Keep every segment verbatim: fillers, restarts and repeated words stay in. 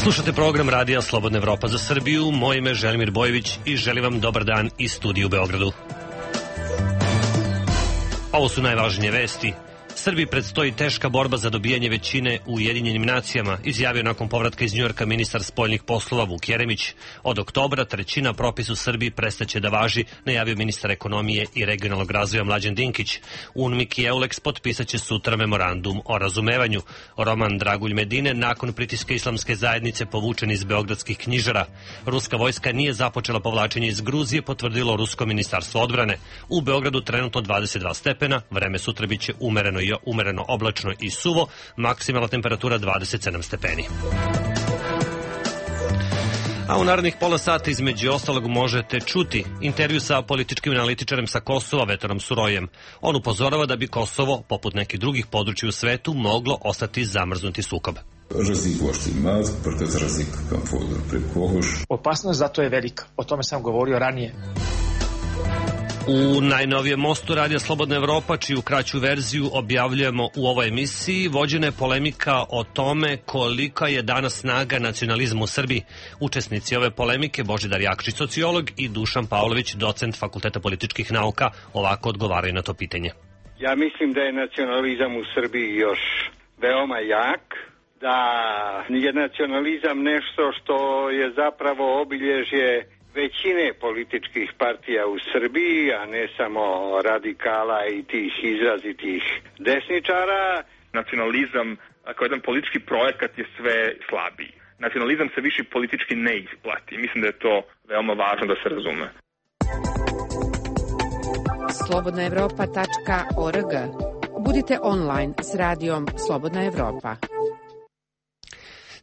Slušate program Radija Slobodna Evropa za Srbiju. Moje ime je Želimir Bojević i želim vam dobar dan iz studija u Beogradu. Ovo su najvažnije vesti. Srbiji predstoji teška borba za dobijanje većine u Ujedinjenim nacijama, izjavio nakon povratka iz Njujorka ministar spoljnih poslova Vuk Jeremić. Od oktobra trećina propisa u Srbiji prestaće da važi, najavio ministar ekonomije i regionalnog razvoja Mlađan Dinkić. UNMIK i EULEX potpisaće sutra memorandum o razumevanju. Roman Dragulj Medine nakon pritiska islamske zajednice povučen iz beogradskih knjižara. Ruska vojska nije započela povlačenje iz Gruzije, potvrdilo Rusko ministarstvo odbrane. U Beogradu trenutno dvadeset dva stepena, vreme sutra biće umereno i umereno oblačno i suvo, maksimalna temperatura dvadeset sedam stepeni. A u narednih pola sata između ostalog možete čuti intervju sa političkim analitičarem sa Kosova Vetarom Surojem. On upozorava da bi Kosovo, poput nekih drugih područja u svetu, moglo ostati zamrznuti sukob. Opasnost zato je velika. O tome sam govorio ranije. U najnovijem mostu Radija Slobodna Evropa, čiju kraću verziju objavljujemo u ovoj emisiji, vođena je polemika o tome kolika je danas snaga nacionalizma u Srbiji. Učesnici ove polemike, Božidar Jakšić, sociolog, i Dušan Pavlović, docent Fakulteta političkih nauka, ovako odgovaraju na to pitanje. Ja mislim da je nacionalizam u Srbiji još veoma jak, da je nacionalizam nešto što je zapravo obilježje većine političkih partija u Srbiji, a ne samo radikala i tih izrazitih desničara. Nacionalizam kao jedan politički projekat je sve slabiji. Nacionalizam se više politički ne isplati. Mislim da je to veoma važno da se razume. slobodna evropa tačka org. Budite online s radijom Slobodna Evropa.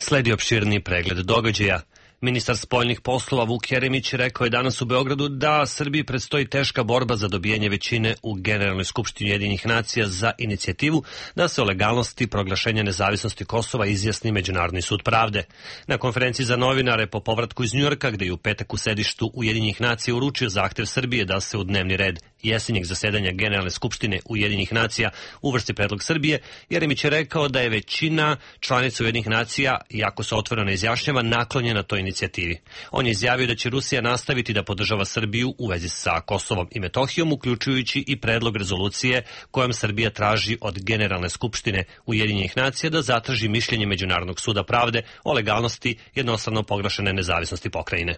Sledi opširni pregled događaja. Ministar spoljnih poslova Vuk Jeremić rekao je danas u Beogradu da Srbiji predstoji teška borba za dobijanje većine u Generalnoj skupštini Ujedinjenih nacija za inicijativu da se o legalnosti proglašenja nezavisnosti Kosova izjasni Međunarodni sud pravde. Na konferenciji za novinare po povratku iz Njujorka, gde je u petak u sedištu Ujedinjenih nacija uručio zahtev Srbije da se u dnevni red jesenjeg zasedanja Generalne skupštine Ujedinjenih nacija uvrsti predlog Srbije, Jeremić je rekao da je većina članica Ujedinjenih nacija, iako se otvoreno izjašnjava, naklonjena toj inicijativi. On je izjavio da će Rusija nastaviti da podržava Srbiju u vezi sa Kosovom i Metohijom, uključujući i predlog rezolucije kojom Srbija traži od Generalne skupštine Ujedinjenih nacija da zatraži mišljenje Međunarodnog suda pravde o legalnosti jednostrano proglašene nezavisnosti pokrajine.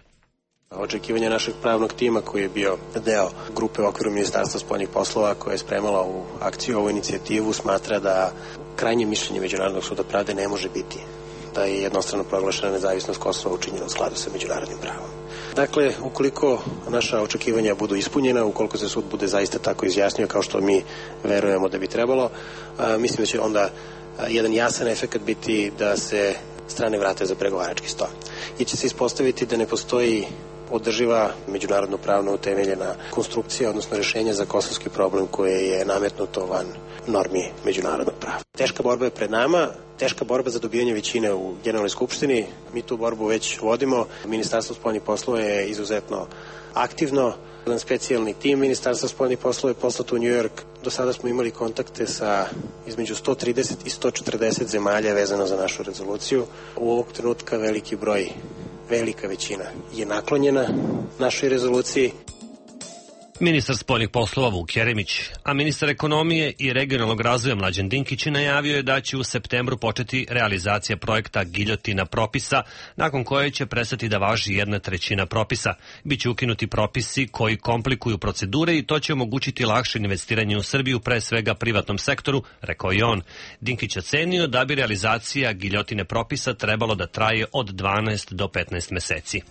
Očekivanje našeg pravnog tima, koji je bio deo grupe u okviru Ministarstva spoljnih poslova koja je spremala u akciju ovu inicijativu, smatra da krajnje mišljenje Međunarodnog suda pravde ne može biti da je jednostrano proglašena nezavisnost Kosova učinjena u skladu sa međunarodnim pravom. Dakle, ukoliko naša očekivanja budu ispunjena, ukoliko se sud bude zaista tako izjasnio kao što mi verujemo da bi trebalo, mislim da će onda jedan jasan efekt biti da se strane vrate za pregovarački sto. I će se ispostaviti da ne postoji održiva međunarodno pravno utemeljena konstrukcija, odnosno rješenja za kosovski problem koje je nametnuto van normi međunarodnog prava. Teška borba je pred nama, teška borba za dobijanje većine u Generalnoj skupštini. Mi tu borbu već vodimo. Ministarstvo spoljnih poslova je izuzetno aktivno. Jedan specijalni tim Ministarstva spoljnih poslova je poslat u New York. Do sada smo imali kontakte sa između sto trideset i sto četrdeset zemalja vezano za našu rezoluciju. U ovog trenutka veliki broj, velika većina je naklonjena našoj rezoluciji. Ministar spoljnih poslova Vuk Jeremić, a ministar ekonomije i regionalnog razvoja Mlađan Dinkić najavio je da će u septembru početi realizacija projekta Giljotina propisa, nakon koje će prestati da važi jedna trećina propisa. Biće ukinuti propisi koji komplikuju procedure i to će omogućiti lakše investiranje u Srbiju, pre svega privatnom sektoru, rekao je on. Dinkić ocenio da bi realizacija Giljotine propisa trebalo da traje od dvanaest do petnaest meseci.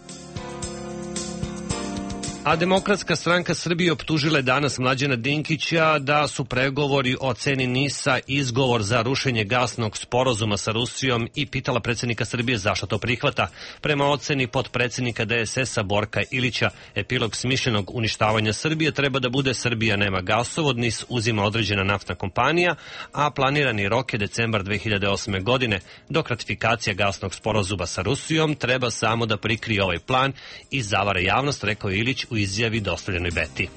A Demokratska stranka Srbije optužila je danas Mlađana Dinkića da su pregovori o ceni NIS-a izgovor za rušenje gasnog sporazuma sa Rusijom i pitala predsjednika Srbije zašto to prihvata. Prema oceni potpredsjednika D S S-a Borka Ilića, epilog smišljenog uništavanja Srbije treba da bude Srbija nema gasovod, NIS uzima određena naftna kompanija, a planirani rok je decembar dve hiljade osme. godine. Dok ratifikacija gasnog sporazuma sa Rusijom treba samo da prikrije ovaj plan i zavara javnost, rekao je Ilić u izjavi dostavljenoj Beti.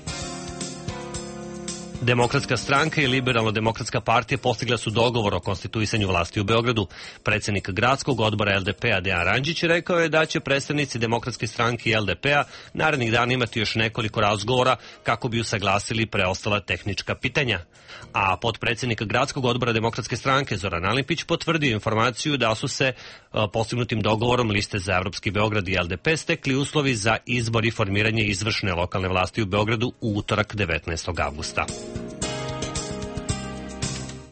Demokratska stranka i Liberalno-demokratska partija postigla su dogovor o konstituisanju vlasti u Beogradu. Predsjednik gradskog odbora el de pe a Dejan Randžić rekao je da će predstavnici Demokratske stranke i el de pe a narednih dana imati još nekoliko razgovora kako bi usaglasili preostala tehnička pitanja. A potpredsjednik gradskog odbora Demokratske stranke Zoran Alimpić potvrdio informaciju da su se postignutim dogovorom liste za Evropski Beograd i el de pe stekli uslovi za izbor i formiranje izvršne lokalne vlasti u Beogradu u utorak devetnaestog avgusta.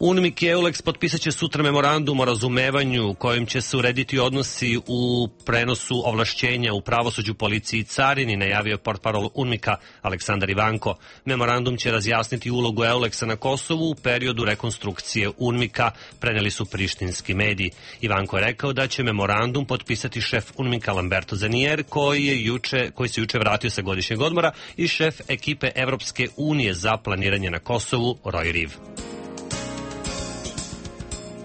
UNMIK i EULEX potpisat će sutra memorandum o razumevanju kojim će se urediti odnosi u prenosu ovlašćenja u pravosuđu, policiji i carini, najavio portparol UNMIK-a Aleksandar Ivanko. Memorandum će razjasniti ulogu EULEX-a na Kosovu u periodu rekonstrukcije UNMIK-a, preneli su prištinski mediji. Ivanko je rekao da će memorandum potpisati šef UNMIK-a Lamberto Zanier, koji, je juče, koji se juče vratio sa godišnjeg odmora, i šef ekipe Evropske unije za planiranje na Kosovu Roy Riv.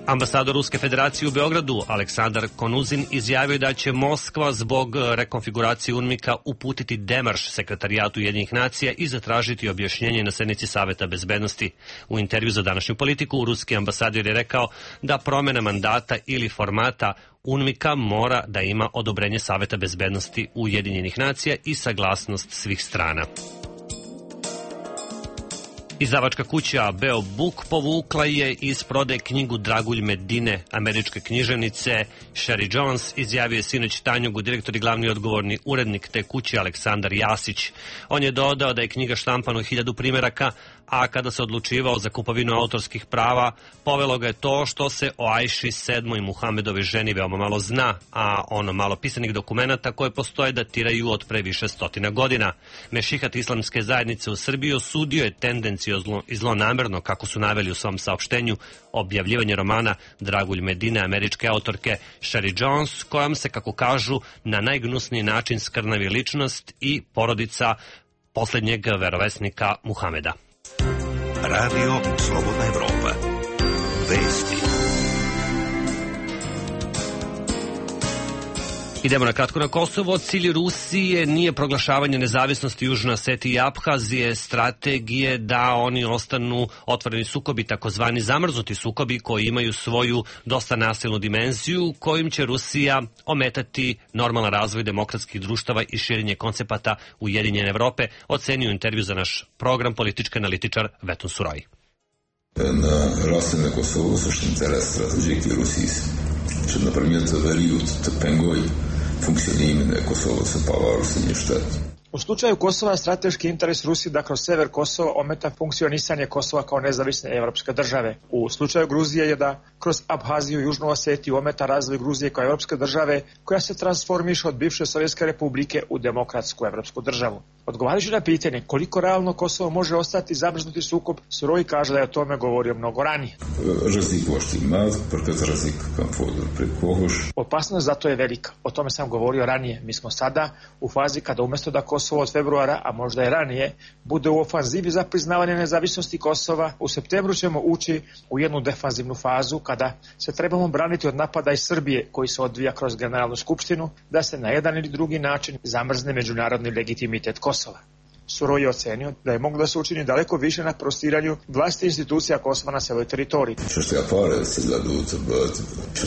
Ambasador Ruske federacije u Beogradu Aleksandar Konuzin izjavio da će Moskva zbog rekonfiguracije UNMIK-a uputiti demarš sekretarijatu Ujedinjenih nacija i zatražiti objašnjenje na sednici Saveta bezbednosti. U intervju za današnju politiku ruski ambasador je rekao da promjena mandata ili formata UNMIK-a mora da ima odobrenje Saveta bezbednosti Ujedinjenih nacija i saglasnost svih strana. Izdavačka kuća Beo Book povukla je iz prodaje knjigu Dragulj Medine američke književnice Sherry Jones, izjavio je sinoć Tanjugu direktor i glavni odgovorni urednik te kuće Aleksandar Jasić. On je dodao da je knjiga štampana u hiljadu primjeraka, a kada se odlučivao za kupovinu autorskih prava, povelo ga je to što se o Ajši sedmoj Muhamedove ženi veoma malo zna, a ono malo pisanih dokumenata koje postoje datiraju od pre više stotina godina. Mešihat islamske zajednice u Srbiji osudio je tendenciozno i zlonamerno, kako su naveli u svom saopštenju, objavljivanje romana Dragulj Medine američke autorke Sherry Jones, kojom se, kako kažu, na najgnusniji način skrnavi ličnost i porodica posljednjeg verovesnika Muhameda. Radio Slobodna Evropa. Vesti. Idemo na kratko na Kosovo. Cilj Rusije nije proglašavanje nezavisnosti Južne Osetije i Aphazije, strategije da oni ostanu otvoreni sukobi, takozvani zamrznuti sukobi koji imaju svoju dosta nasilnu dimenziju, kojim će Rusija ometati normalan razvoj demokratskih društava i širenje koncepata Ujedinjene Evrope, ocenio intervju za naš program politički analitičar Vetun Suroj. На различни Косово също интерес стратегически Русии. Че, например, за период Тепенгой функциониране Косово се пава Русини щат. U slučaju Kosova strateški interes Rusije da kroz sever Kosova ometa funkcionisanje Kosova kao nezavisne evropske države. U slučaju Gruzije je da kroz Abhaziju i Južnu Osetiju ometa razvoj Gruzije kao evropske države koja se transformiše od bivše Sovjetske republike u demokratsku evropsku državu. Odgovarajući na pitanje koliko realno Kosovo može ostati zamrznuti sukob, Suroj kaže da je o tome govorio mnogo ranije. Opasnost zato je velika. O tome sam govorio ranije. Mi smo sada u fazi kada umjesto da Kosovo od februara, a možda i ranije, bude u ofanzivi za priznavanje nezavisnosti Kosova, u septembru ćemo ući u jednu defanzivnu fazu kada se trebamo braniti od napada iz Srbije koji se odvija kroz Generalnu skupštinu, da se na jedan ili drugi način zamrzne međunarodni legitimitet Kosova. Suroj je ocenio da je moglo da se učini daleko više na prostiranju vlasti institucija Kosova na celoj teritoriji. Što je pare se gledajući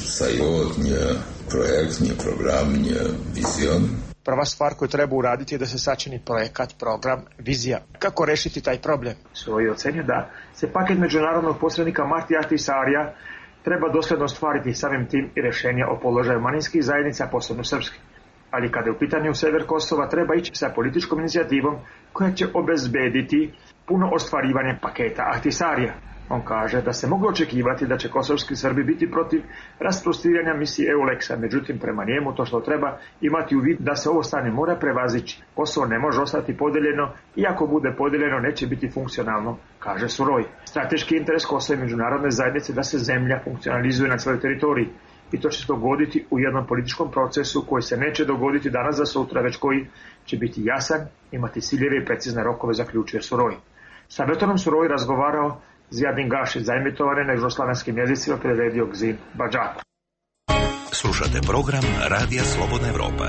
sajotnje, projektnje, programnje, vizion. Prva stvar koju treba uraditi je da se sačini projekat, program, vizija. Kako rešiti taj problem? Suroj je ocenio da se paket međunarodnog posrednika Marti Ahtisarija treba dosledno ostvariti samim tim i rešenja o položaju manjinskih zajednica, posebno srpskih. Ali kada je u pitanju sever Kosova, treba ići sa političkom inicijativom koja će obezbediti puno ostvarivanje paketa Ahtisarija. On kaže da se moglo očekivati da će kosovski Srbi biti protiv rasprostiranja misije EULEX-a, međutim prema njemu to što treba imati u vidu da se ovo stanje mora prevazići. Kosovo ne može ostati podeljeno i ako bude podeljeno neće biti funkcionalno, kaže Suroj. Strateški interes Kosova i međunarodne zajednice da se zemlja funkcionalizuje na celoj teritoriji. I to će se dogoditi u jednom političkom procesu koji se neće dogoditi danas za sutra, već koji će biti jasan, imati ciljeve i precizne rokove, zaključuje Suroj. Sa Vetonom Suroj razgovarao Zijadin Gašić, zaemitovane na južnoslavenskim jezicima, preredio Gzim Badžaku. Slušate program Radija Slobodna Evropa.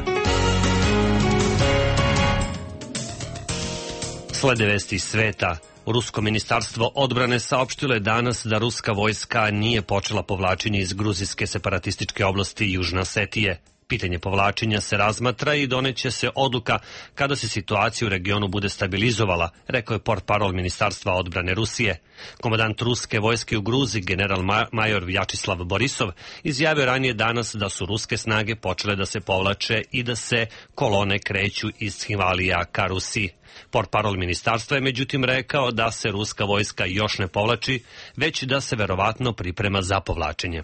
Slede vesti iz sveta. Rusko ministarstvo odbrane saopštilo je danas da ruska vojska nije počela povlačenje iz gruzijske separatističke oblasti Južne Osetije. Pitanje povlačenja se razmatra i doneće se odluka kada se situacija u regionu bude stabilizovala, rekao je portparol Ministarstva odbrane Rusije. Komandant ruske vojske u Gruziji, general major Vjačislav Borisov, izjavio ranije danas da su ruske snage počele da se povlače i da se kolone kreću iz Himalija ka Rusiji. Portparol ministarstva je međutim rekao da se ruska vojska još ne povlači, već da se verovatno priprema za povlačenje.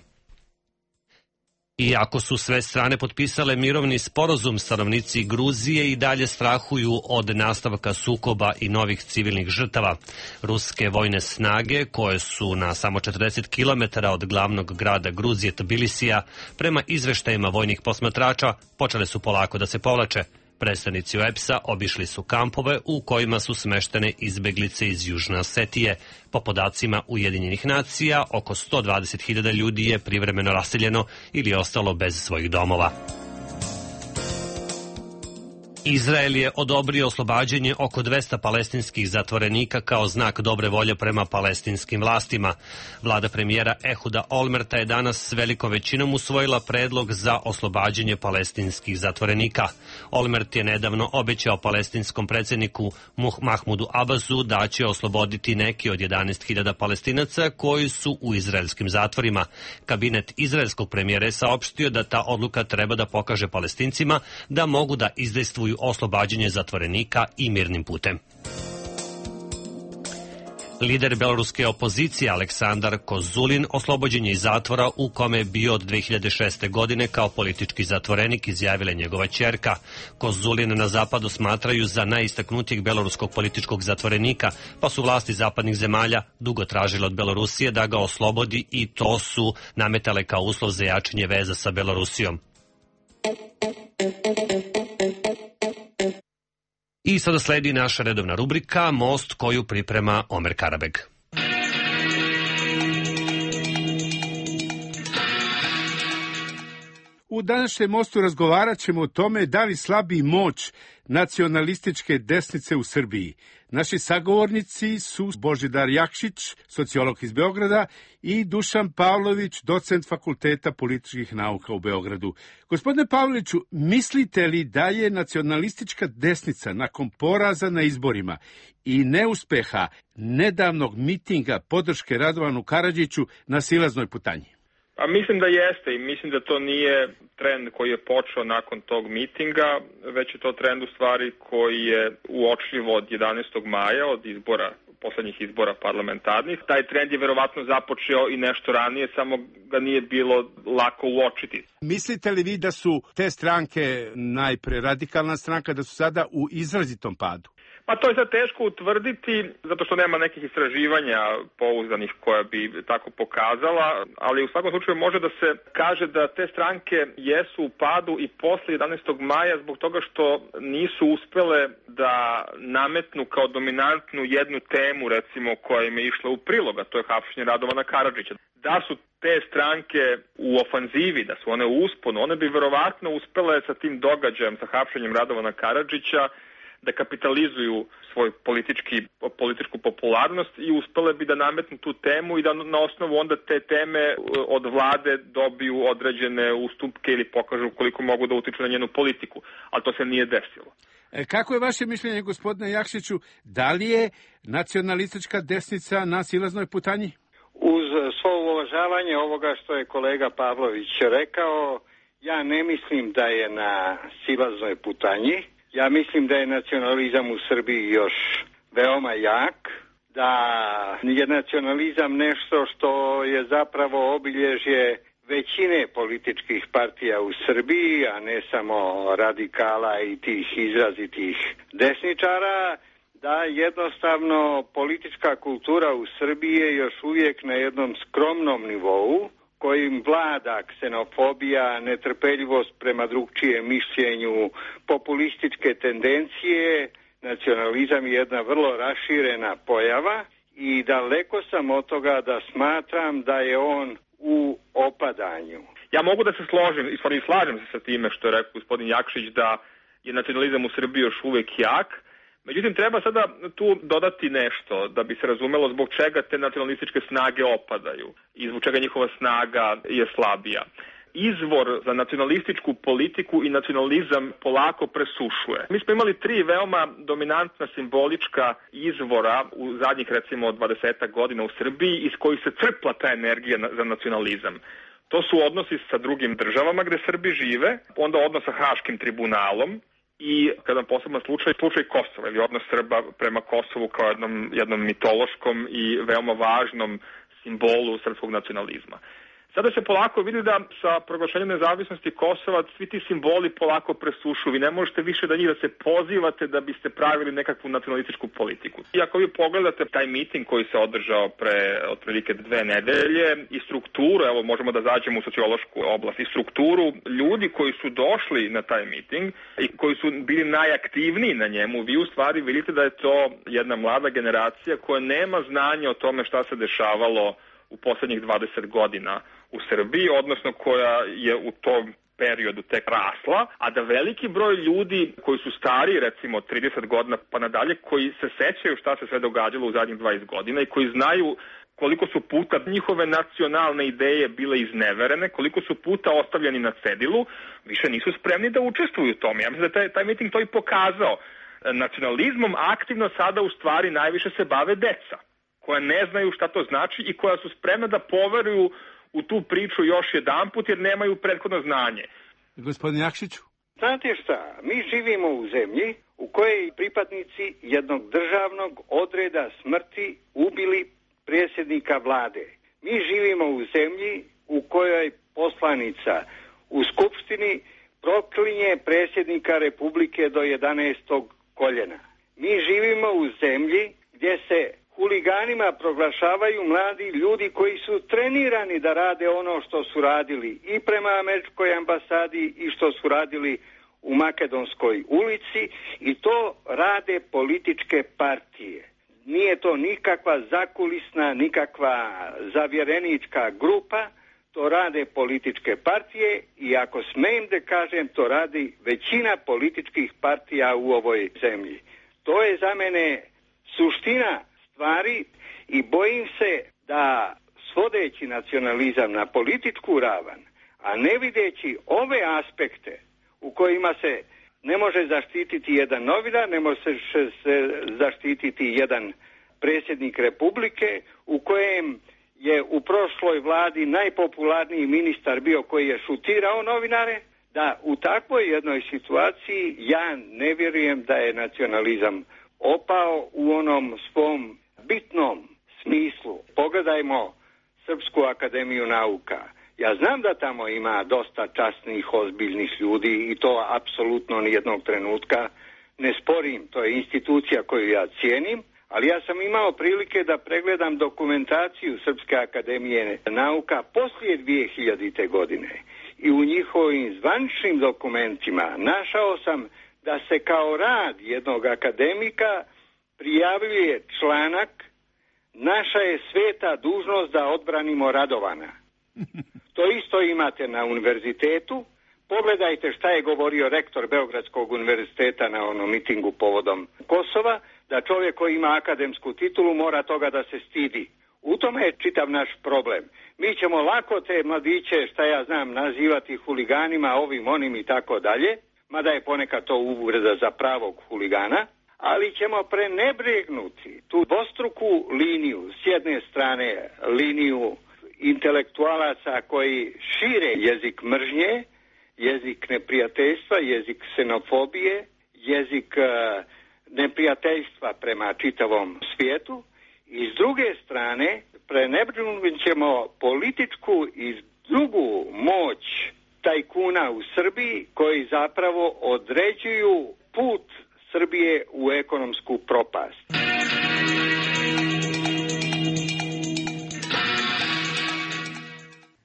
Iako su sve strane potpisale mirovni sporazum, stanovnici Gruzije i dalje strahuju od nastavka sukoba i novih civilnih žrtava. Ruske vojne snage, koje su na samo četrdeset kilometara od glavnog grada Gruzije Tbilisija, prema izveštajima vojnih posmatrača, počele su polako da se povlače. Predstavnici O E P S-a obišli su kampove u kojima su smeštene izbeglice iz Južne Osetije. Po podacima Ujedinjenih nacija, oko sto dvadeset hiljada ljudi je privremeno raseljeno ili ostalo bez svojih domova. Izrael je odobrio oslobađanje oko dvesta palestinskih zatvorenika kao znak dobre volje prema palestinskim vlastima. Vlada premijera Ehuda Olmerta je danas s velikom većinom usvojila predlog za oslobađanje palestinskih zatvorenika. Olmert je nedavno obećao palestinskom predsjedniku Mahmudu Abbasu da će osloboditi neki od jedanaest hiljada Palestinaca koji su u izraelskim zatvorima. Kabinet izraelskog premijera je saopštio da ta odluka treba da pokaže Palestincima da mogu da izdejstvuju oslobađanje zatvorenika i mirnim putem. Lider beloruske opozicije Aleksandar Kozulin oslobođen je iz zatvora u kome je bio od dve hiljade šeste. godine kao politički zatvorenik, izjavila njegova ćerka. Kozulin na zapadu smatraju za najistaknutijeg beloruskog političkog zatvorenika, pa su vlasti zapadnih zemalja dugo tražile od Belorusije da ga oslobodi i to su nametale kao uslov za jačanje veza sa Belorusijom. I sada sledi naša redovna rubrika Most koju priprema Omer Karabeg. U današnjem Mostu razgovarat ćemo o tome da li slabi moć nacionalističke desnice u Srbiji. Naši sagovornici su Božidar Jakšić, sociolog iz Beograda, i Dušan Pavlović, docent Fakulteta političkih nauka u Beogradu. Gospodine Pavloviću, mislite li da je nacionalistička desnica nakon poraza na izborima i neuspeha nedavnog mitinga podrške Radovanu Karadžiću na silaznoj putanji? A mislim da jeste i mislim da to nije trend koji je počeo nakon tog mitinga, već je to trend u stvari koji je uočljiv od jedanaestog maja, od izbora, poslednjih izbora parlamentarnih. Taj trend je verovatno započeo i nešto ranije, samo ga nije bilo lako uočiti. Mislite li vi da su te stranke, najpre radikalna stranka, da su sada u izrazitom padu? Pa to je sad teško utvrditi, zato što nema nekih istraživanja pouzdanih koja bi tako pokazala, ali u svakom slučaju može da se kaže da te stranke jesu u padu i posle jedanaestog maja zbog toga što nisu uspele da nametnu kao dominantnu jednu temu, recimo, koja im je išla u prilog, a to je hapšenje Radovana Karadžića. Da su te stranke u ofanzivi, da su one u usponu, one bi verovatno uspele sa tim događajem, sa hapšenjem Radovana Karadžića, da kapitalizuju svoj politički, političku popularnost i uspele bi da nametnu tu temu i da na osnovu onda te teme od vlade dobiju određene ustupke ili pokažu koliko mogu da utiču na njenu politiku, ali to se nije desilo. E, kako je vaše mišljenje, gospodine Jakšiću, da li je nacionalistička desnica na silaznoj putanji? Uz svo uvažavanje ovoga što je kolega Pavlović rekao, ja ne mislim da je na silaznoj putanji. Ja mislim da je nacionalizam u Srbiji još veoma jak, da je nacionalizam nešto što je zapravo obilježje većine političkih partija u Srbiji, a ne samo radikala i tih izrazitih desničara, da jednostavno politička kultura u Srbiji je još uvijek na jednom skromnom nivou, kojim vlada ksenofobija, netrpeljivost prema drugčijem mišljenju, populističke tendencije. Nacionalizam je jedna vrlo raširena pojava i daleko sam od toga da smatram da je on u opadanju. Ja mogu da se složim, i stvari slažem se sa time što je rekao gospodin Jakšić, da je nacionalizam u Srbiji još uvijek jak. Međutim, treba sada tu dodati nešto da bi se razumelo zbog čega te nacionalističke snage opadaju i zbog čega njihova snaga je slabija. Izvor za nacionalističku politiku i nacionalizam polako presušuje. Mi smo imali tri veoma dominantna simbolička izvora u zadnjih recimo dvadesetak godina u Srbiji iz kojih se crpla ta energija za nacionalizam. To su odnosi sa drugim državama gde Srbi žive, onda odnos sa Haškim tribunalom i, kada posebno slučaj, slučaj Kosova ili odnos Srba prema Kosovu kao jednom, jednom mitološkom i veoma važnom simbolu srpskog nacionalizma. Sada se polako vidi da sa proglašenjem nezavisnosti Kosova svi ti simboli polako presušu. Vi ne možete više da njih da se pozivate da biste pravili nekakvu nacionalističku politiku. I ako vi pogledate taj miting koji se održao pre otprilike dve nedelje i strukturu, evo možemo da zađemo u sociološku oblast, i strukturu ljudi koji su došli na taj miting i koji su bili najaktivniji na njemu, vi u stvari vidite da je to jedna mlada generacija koja nema znanja o tome šta se dešavalo u poslednjih dvadeset godina u Srbiji, odnosno koja je u tom periodu tek rasla, a da veliki broj ljudi koji su stari, recimo trideset godina pa nadalje, koji se sećaju šta se sve događalo u zadnjih dvadeset godina i koji znaju koliko su puta njihove nacionalne ideje bile izneverene, koliko su puta ostavljeni na cedilu, više nisu spremni da učestvuju u tome. Ja mislim da taj, taj miting to i pokazao. Nacionalizmom aktivno sada u stvari najviše se bave deca, koja ne znaju šta to znači i koja su spremna da poveruju u tu priču još jedanput jer nemaju prethodno znanje. Gospodin Jakšiću? Znate šta, mi živimo u zemlji u kojoj pripadnici jednog državnog odreda smrti ubili predsjednika vlade. Mi živimo u zemlji u kojoj poslanica u Skupštini proklinje predsjednika Republike do jedanaestog koljena. Mi živimo u zemlji gdje se huliganima proglašavaju mladi ljudi koji su trenirani da rade ono što su radili i prema američkoj ambasadi i što su radili u Makedonskoj ulici, i to rade političke partije. Nije to nikakva zakulisna, nikakva zavjerenička grupa, to rade političke partije i ako smijem da kažem, to radi većina političkih partija u ovoj zemlji. To je za mene suština stvari i bojim se da svodeći nacionalizam na političku ravan, a ne videći ove aspekte u kojima se ne može zaštititi jedan novinar, ne može se zaštititi jedan predsjednik Republike, u kojem je u prošloj vladi najpopularniji ministar bio koji je šutirao novinare, da u takvoj jednoj situaciji ja ne vjerujem da je nacionalizam opao u onom svom bitnom smislu. Pogledajmo Srpsku akademiju nauka. Ja znam da tamo ima dosta časnih, ozbiljnih ljudi i to apsolutno nijednog trenutka ne sporim. To je institucija koju ja cijenim, ali ja sam imao prilike da pregledam dokumentaciju Srpske akademije nauka poslije dvije hiljadite godine i u njihovim zvaničnim dokumentima našao sam da se kao rad jednog akademika prijavljuje članak "Naša je sveta dužnost da odbranimo Radovana". To isto imate na univerzitetu. Pogledajte šta je govorio rektor Beogradskog univerziteta na onom mitingu povodom Kosova, da čovjek koji ima akademsku titulu mora toga da se stidi. U tome je čitav naš problem. Mi ćemo lako te mladiće, šta ja znam, nazivati huliganima, ovim, onim i tako dalje, mada je ponekad to uvreda za pravog huligana, ali ćemo prenebregnuti tu dvostruku liniju, s jedne strane liniju intelektualaca koji šire jezik mržnje, jezik neprijateljstva, jezik ksenofobije, jezik uh, neprijateljstva prema čitavom svijetu, i s druge strane prenebregnut ćemo političku i drugu moć tajkuna u Srbiji koji zapravo određuju put Srbije u ekonomsku propast.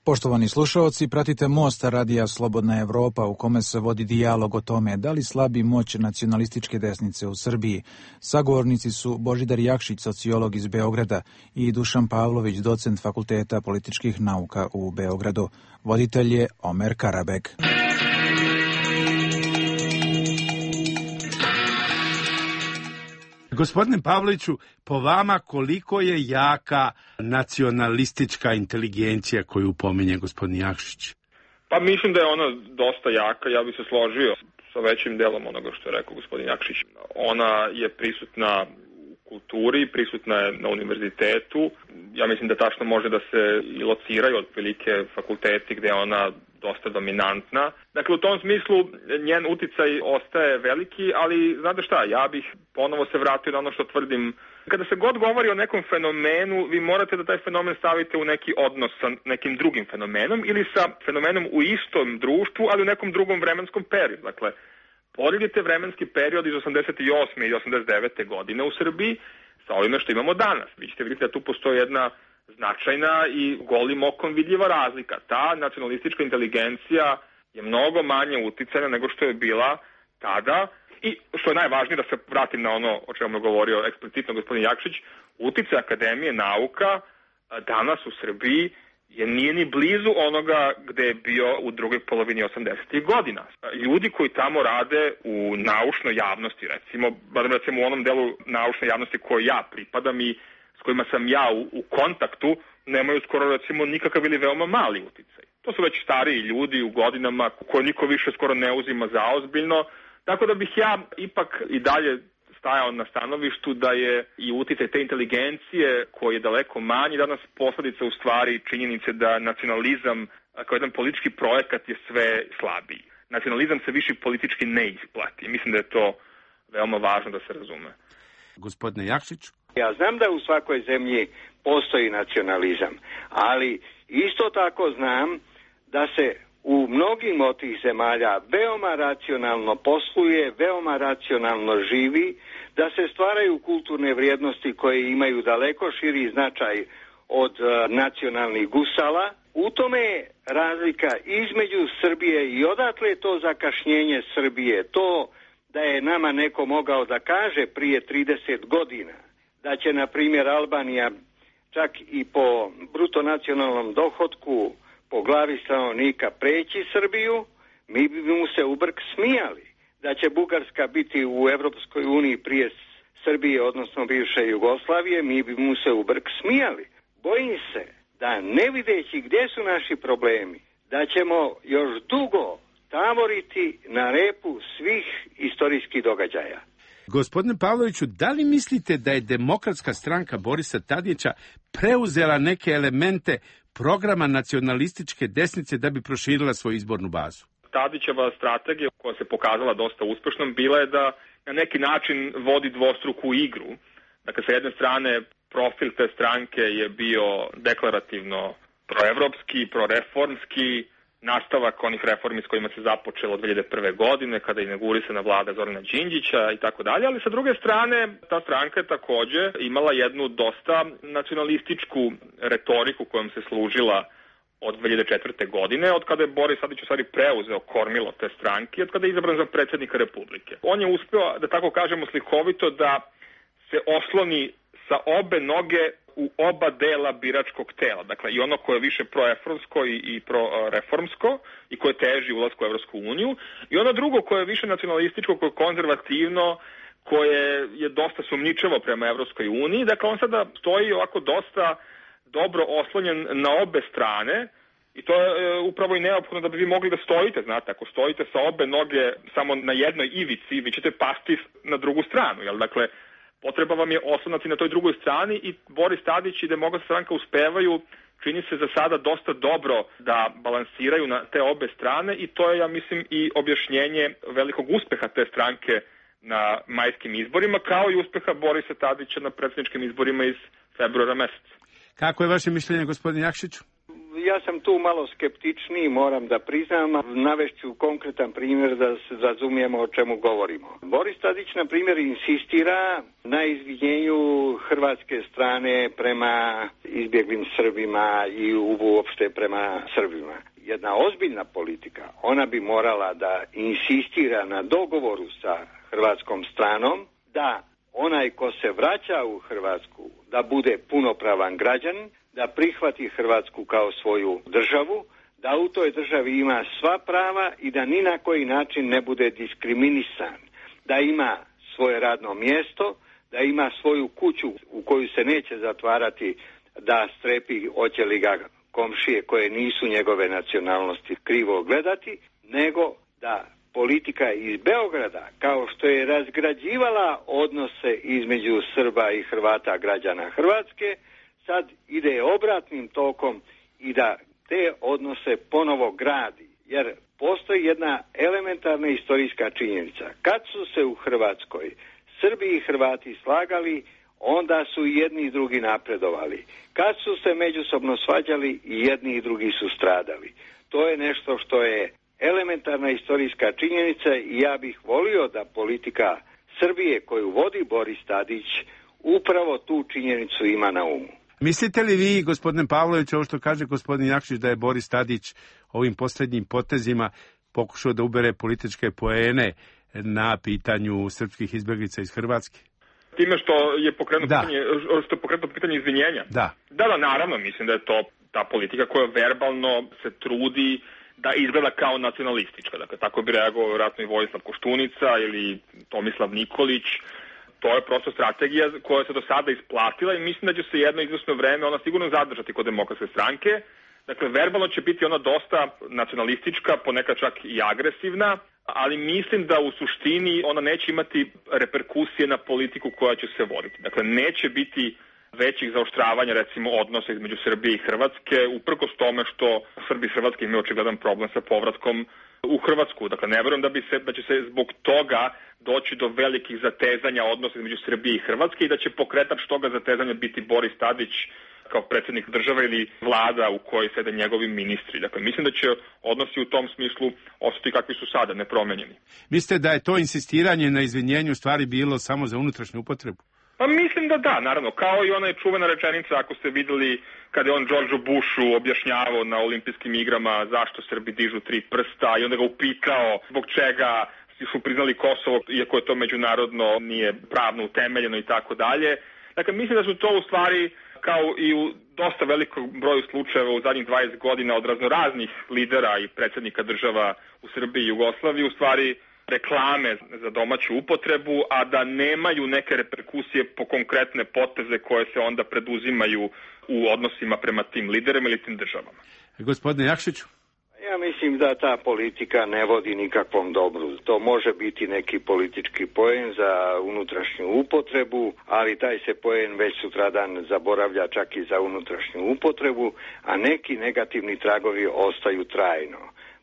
Poštovani slušaoci, pratite Most radija Slobodna Evropa u kome se vodi dijalog o tome da li slabi moć nacionalističke desnice u Srbiji. Sagovornici su Božidar Jakšić, sociolog iz Beograda, i Dušan Pavlović, docent Fakulteta političkih nauka u Beogradu. Voditelj je Omer Karabek. Gospodine Pavloviću, po vama koliko je jaka nacionalistička inteligencija koju pominje gospodin Jakšić? Pa mislim da je ona dosta jaka, ja bih se složio sa većim delom onoga što je rekao gospodin Jakšić. Ona je prisutna u kulturi, prisutna je na univerzitetu. Ja mislim da tačno može da se i lociraju otprilike fakulteti gde je ona dosta dominantna. Dakle, u tom smislu njen uticaj ostaje veliki, ali znate šta, ja bih ponovo se vratio na ono što tvrdim. Kada se god govori o nekom fenomenu, vi morate da taj fenomen stavite u neki odnos sa nekim drugim fenomenom ili sa fenomenom u istom društvu, ali u nekom drugom vremenskom periodu. Dakle, poredite vremenski period iz osamdeset osme i osamdeset devete godine u Srbiji sa ovime što imamo danas. Vi ćete vidjeti da tu postoji jedna značajna i golim okom vidljiva razlika. Ta nacionalistička inteligencija je mnogo manje uticajna nego što je bila tada i što je najvažnije, da se vratim na ono o čemu je govorio eksplicitno gospodin Jakšić, uticaj akademije nauka danas u Srbiji je nije ni blizu onoga gde je bio u drugoj polovini osamdesetih godina. Ljudi koji tamo rade u naučnoj javnosti, recimo, barem recimo u onom delu naučne javnosti koje ja pripadam i s kojima sam ja u, u kontaktu, nemaju skoro recimo nikakav ili veoma mali uticaj. To su već stariji ljudi u godinama koje niko više skoro ne uzima za ozbiljno, tako da bih ja ipak i dalje stajao na stanovištu da je i uticaj te inteligencije koji je daleko manji danas posledica u stvari činjenice da nacionalizam kao jedan politički projekat je sve slabiji. Nacionalizam se više politički ne isplati. Mislim da je to veoma važno da se razume. Gospodine Jakšić? Ja znam da u svakoj zemlji postoji nacionalizam, ali isto tako znam da se u mnogim od tih zemalja veoma racionalno posluje, veoma racionalno živi, da se stvaraju kulturne vrijednosti koje imaju daleko širi značaj od uh, nacionalnih gusala. U tome je razlika između Srbije i odatle je to zakašnjenje Srbije. To da je nama neko mogao da kaže prije trideset godina da će, na primjer, Albanija čak i po bruto nacionalnom dohotku po glavi stanovnika preći Srbiju, mi bi mu se u brk smijali. Da će Bugarska biti u Evropskoj uniji prije Srbije, odnosno bivše Jugoslavije, mi bi mu se u brk smijali. Bojim se da ne videći gdje su naši problemi, da ćemo još dugo tavoriti na repu svih istorijskih događaja. Gospodine Pavloviću, da li mislite da je Demokratska stranka Borisa Tadića preuzela neke elemente programa nacionalističke desnice da bi proširila svoju izbornu bazu? Tadićeva strategija, koja se pokazala dosta uspešnom, bila je da na neki način vodi dvostruku igru. Dakle, sa jedne strane, profil te stranke je bio deklarativno proevropski, proreformski, nastavak onih reformi s kojima se započelo dve hiljade prve. godine, kada je inaugurisana vlada Zorana Đinđića i tako dalje, ali sa druge strane, ta stranka je takođe imala jednu dosta nacionalističku retoriku kojom se služila od dve hiljade četvrte. godine, od kada je Boris Tadić u stvari preuzeo kormilo te stranke, od kada je izabran za predsjednika Republike. On je uspeo, da tako kažemo slikovito, da se osloni sa obe noge u oba dela biračkog tela. Dakle, i ono koje je više proefronsko i, i proreformsko i koje teži ulasku u Evropsku uniju, i ono drugo koje je više nacionalističko, koje je konzervativno, koje je dosta sumnjičavo prema Evropskoj uniji. Dakle, on sada stoji ovako dosta dobro oslonjen na obe strane i to je e, upravo i neophodno da bi vi mogli da stojite, znate, ako stojite sa obe noge samo na jednoj ivici, vi ćete pasti na drugu stranu, jel? Dakle, potreba vam je oslonati na toj drugoj strani i Boris Tadić i Demokratska stranka uspevaju, čini se za sada dosta dobro da balansiraju na te obe strane i to je, ja mislim, i objašnjenje velikog uspeha te stranke na majskim izborima, kao i uspeha Borisa Tadića na predsjedničkim izborima iz februara meseca. Kako je vaše mišljenje, gospodin Jakšiću? Ja sam tu malo skeptičniji, moram da priznam. Navešću konkretan primjer da se razumijemo o čemu govorimo. Boris Tadić, na primjer, insistira na izvinjenju hrvatske strane prema izbjeglim Srbima i uopšte prema Srbima. Jedna ozbiljna politika, ona bi morala da insistira na dogovoru sa hrvatskom stranom, da onaj ko se vraća u Hrvatsku da bude punopravan građanin, da prihvati Hrvatsku kao svoju državu, da u toj državi ima sva prava i da ni na koji način ne bude diskriminisan, da ima svoje radno mjesto, da ima svoju kuću u koju se neće zatvarati, da strepi hoće li ga komšije koje nisu njegove nacionalnosti krivo gledati, nego da politika iz Beograda, kao što je razgrađivala odnose između Srba i Hrvata, građana Hrvatske, sad ide obratnim tokom i da te odnose ponovo gradi. Jer postoji jedna elementarna istorijska činjenica. Kad su se u Hrvatskoj Srbi i Hrvati slagali, onda su i jedni i drugi napredovali. Kad su se međusobno svađali, i jedni i drugi su stradali. To je nešto što je elementarna istorijska činjenica i ja bih volio da politika Srbije koju vodi Boris Tadić upravo tu činjenicu ima na umu. Mislite li vi, gospodine Pavlović, ovo što kaže gospodin Jakšić, da je Boris Tadić ovim posljednjim potezima pokušao da ubere političke poene na pitanju srpskih izbjeglica iz Hrvatske? Time što je pokrenuto pitanje, što je pokrenuto pitanje izvinjenja? Da. Da, da, naravno, mislim da je to ta politika koja verbalno se trudi da izgleda kao nacionalistička. Dakle, tako bi reagovao vjerojatno i Vojislav Koštunica ili Tomislav Nikolić. To je prosto strategija koja se do sada isplatila i mislim da će se jedno izvesno vreme ona sigurno zadržati kod Demokratske stranke. Dakle, verbalno će biti ona dosta nacionalistička, ponekad čak i agresivna, ali mislim da u suštini ona neće imati reperkusije na politiku koja će se voditi. Dakle, neće biti većih zaoštravanja, recimo, odnosa između Srbije i Hrvatske, uprkos tome što Srbi i Hrvatske imaju očigledan problem sa povratkom u Hrvatsku. Dakle, ne verujem da, bi se, da će se zbog toga doći do velikih zatezanja odnosa između Srbije i Hrvatske i da će pokretač toga zatezanja biti Boris Tadić kao predsjednik države ili vlada u kojoj sede njegovi ministri. Dakle, mislim da će odnosi u tom smislu ostati kakvi su sada, nepromenjeni. Mislite da je to insistiranje na izvinjenju stvari bilo samo za unutrašnju upotrebu? Pa mislim da da, naravno, kao i ona je čuvena rečenica, ako ste vidjeli kada je on Đorđu Bushu objašnjavao na olimpijskim igrama zašto Srbi dižu tri prsta i onda ga upitao zbog čega su priznali Kosovo, iako je to međunarodno nije pravno utemeljeno i tako dalje. Dakle, mislim da su to u stvari, kao i u dosta velikog broju slučajeva u zadnjih dvadeset godina od raznoraznih lidera i predsjednika država u Srbiji i Jugoslaviji, u stvari reklame za domaću upotrebu, a da nemaju neke reperkusije po konkretne poteze koje se onda preduzimaju u odnosima prema tim liderima ili tim državama. Gospodine Jakšiću? Ja mislim da ta politika ne vodi nikakvom dobru. To može biti neki politički poen za unutrašnju upotrebu, ali taj se poen već sutradan zaboravlja čak i za unutrašnju upotrebu, a neki negativni tragovi ostaju trajno.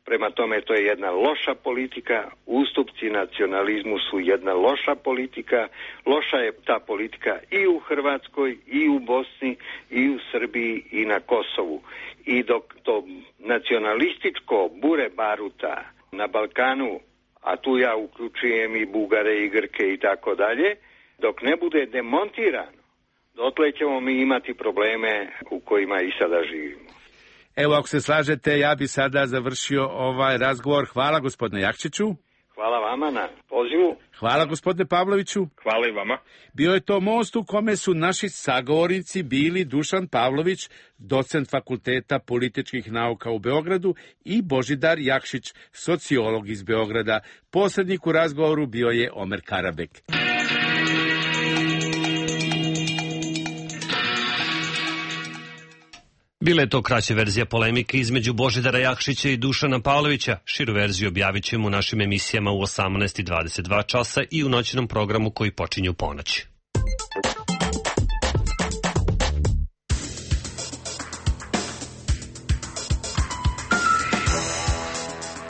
Prema tome, to je jedna loša politika, ustupci nacionalizmu su jedna loša politika, loša je ta politika i u Hrvatskoj, i u Bosni, i u Srbiji, i na Kosovu. I dok to nacionalističko bure baruta na Balkanu, a tu ja uključujem i Bugare, i Grke i tako dalje, dok ne bude demontirano, dotle ćemo mi imati probleme u kojima i sada živimo. Evo, ako se slažete, ja bi sada završio ovaj razgovor. Hvala gospodine Jakšiću. Hvala vama na pozivu. Hvala gospodine Pavloviću. Hvala i vama. Bio je to most u kome su naši sagovornici bili Dušan Pavlović, docent Fakulteta političkih nauka u Beogradu, i Božidar Jakšić, sociolog iz Beograda. Posrednik u razgovoru bio je Omer Karabek. Bila je to kraća verzija polemike između Božidara Jakšića i Dušana Pavlovića. Širu verziju objavit ćemo u našim emisijama u osamnaest i dvadeset dva časa i u noćnom programu koji počinje u ponoć.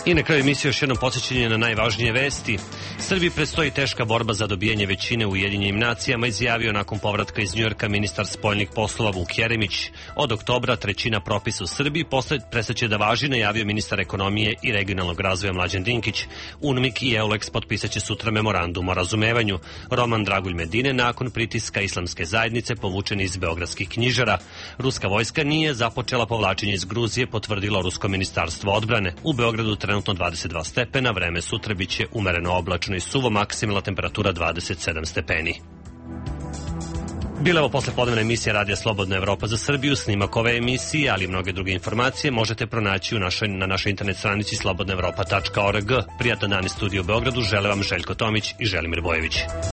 I na kraju emisije još jedno podsjećanje na najvažnije vesti. Srbiji predstoji teška borba za dobijanje većine u Ujedinjenim nacijama, izjavio nakon povratka iz Njujorka ministar spoljnih poslova Vuk Jeremić. Od oktobra trećina propisa u Srbiji prestaće da važi, najavio ministar ekonomije i regionalnog razvoja Mlađan Dinkić. UNMIK i EULEX potpisat će sutra memorandum o razumevanju. Roman Dragulj Medine nakon pritiska islamske zajednice povučen iz beogradskih knjižara. Ruska vojska nije započela povlačenje iz Gruzije, potvrdilo Rusko ministarstvo odbrane. U Beogradu trenutno dvadeset dva stepena, vreme sutra biće umereno oblačno i suvo, maksimalna temperatura dvadeset sedam stepeni. Bila ovo poslepodnevna emisija Radija Slobodna Evropa za Srbiju. Snimak ove emisije, ali i mnoge druge informacije možete pronaći u našoj, na našoj internet stranici slobodna evropa tačka org. Prijatan dan iz studija u Beogradu žele vam Željko Tomić i Želimir Bojević.